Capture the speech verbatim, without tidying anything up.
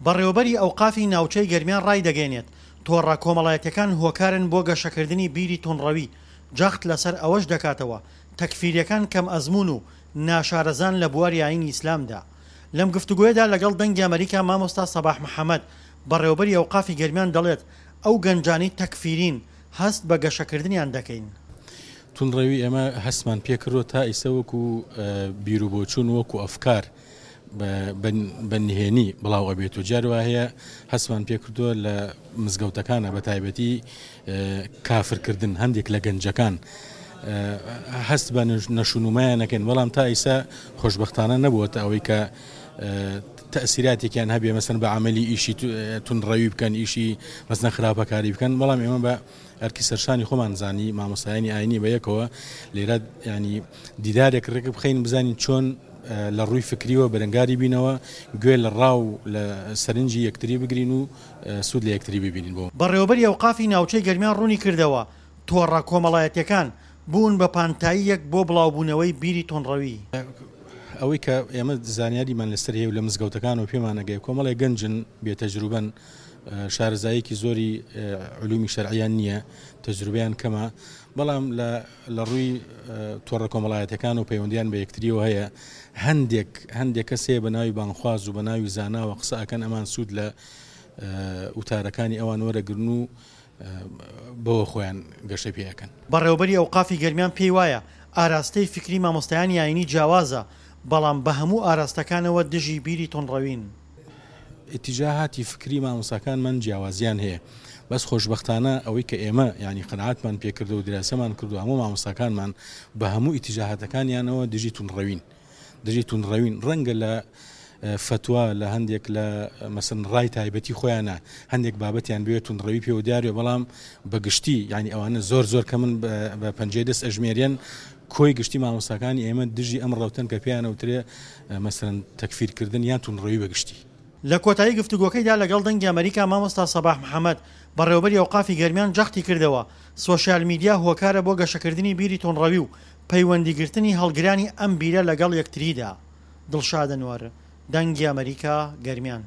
بەڕێوەبەری ئەوقافی ناوچەی گەرمیان ڕایدەگەیەنێت، تۆڕە کۆمەڵایەتیەکان هۆکارن بۆ گەشەکردنی بیری توندڕەوی، جەخت لەسەر ئەوەش دەکاتەوە، تەکفیریەکان کەمئەزموون و ناشارەزان لە بواری ئایینی ئیسلامدا. لەم گفتوگۆیەدا لەگەڵ دەنگی ئەمەریکا مامۆستا سەباح محەمەد، بەڕێوەبەری ئەوقافی گەرمیان دەڵێت، ئەو گەنجانەی تەکفیرین هەست بە گەشەکردنیان دەکەین. توندڕەوی ئێمە هەستمان پێکردووە تا ئیسە وەکو بیروبۆچوون وەکو ئەفکار بە نهێنی بڵاو ئەبێت و جار وا هەیە هەستمان پێکردووە لە مزگەوتەکانە بە تایبەتی کافرکردن هەندێک لە گەنجەکان هەست بە نەشونمایان نەکەن، بەڵام تا ئیسا خۆشببختانە نەبووەتە ئەوەی کە تەسیراتێکیان هەبێ مەسەن بە عملی ئیشی توندڕەوی بکەن، ئیشی مەسەن خراپەکاری بکەن. بەڵام ئێمە بە ئەرکی سەرشانی خۆمان زانی مامۆستایانی ئاینی بە یەکەوە لێرە ینی دیدارێک ڕێک بخەین بزانین چۆن لە ڕووی فکریەوە بەرەنگاری بینەوە، گوێ لە ڕاو لە سەرنجی یەکتری بگرین و سوود لە یەکتری ببینین. بۆ بەڕێوەبەری ئەوقافی ناوچەی گەرمیان ڕوونی کردەوە، تۆڕە کۆمەڵایەتیەکان بوون بە پانتاییەک بۆ بڵاوبوونەوەی بیری توندڕەوی. ئەوەی کە ئێمە زانیاریمان لەسەر هەیە و لە مزگەوتەکان و پێمانەگەی کۆمەڵێک گەنجن بێتەجروبەن، شارەزاییەکی زۆری علومی شەرعیان نییە، تەجروبەیان کەمە، بەڵام لە ڕووی تۆڕە کۆمەڵایەتەکان و پەیوەندیان بە یەکتریەوە هەیە. هەندێک هەندێک کەس هەیە بە ناوی بانخواز و بە ناوی زاناوە قسە ئەکەن، ئەمان سوود لە وتارەکانی ئەوان وەرەگرن و بەوە خۆیان گەشە پێ ئەکەن. بەڕێوەبەری ئەوقافی گەرمیان پێی وایە ئاراستەی فکری مامۆستایانی ئاینی جیاوازە، بەڵام بە هەموو ئاراستەکانەوە دژی بیری توندڕەوین. ئیتیجاهاتی فکری مامۆستاکانمان جیاوازیان هەیە، بەس خۆشببختانە ئەوەی کە ئێمە ینی قەناعەتمان پێکردو و دراسەمان کردو هەموو مامۆستاکانمان بە هەموو ئیتیجاهاتەکانیانەوە دژی توندڕەوین، دژی توندڕەوین. ڕەنگە لە فتوا لە هەندێک لە مەسن ڕای تایبەتی خۆیانە هەندێک بابەتیان بێت توندڕەوی پێوە دیارێ، بەڵام بەگشتی ینی ئەوانە زۆر زۆر کە من بە پەنجەی دەست ئەژمێریان کۆی گشتی مامۆستاکانی ئێمە دژی ئەم ڕەوتەن کە پێیانەوترێ مەسەرەن تەکفیرکردن یان توندڕەوی بەگشتی. لە کۆتایی گفتوگۆکەیدا لەگەڵ دەنگی ئەمەریکا مامۆستا سەباح محەمەد، بەڕێوەبەری ئەوقافی گەرمیان جەختی کردەوە، سۆشیال میدیا هۆکارە بۆ گەشەکردنی بیری توندڕەوی و پەیوەندیگرتنی هەڵگرانی ئەم بیرە لەگەڵ یەکتریدا. دڵشاد ئەنوەر، دەنگی ئەمەریکا، گەرمیان.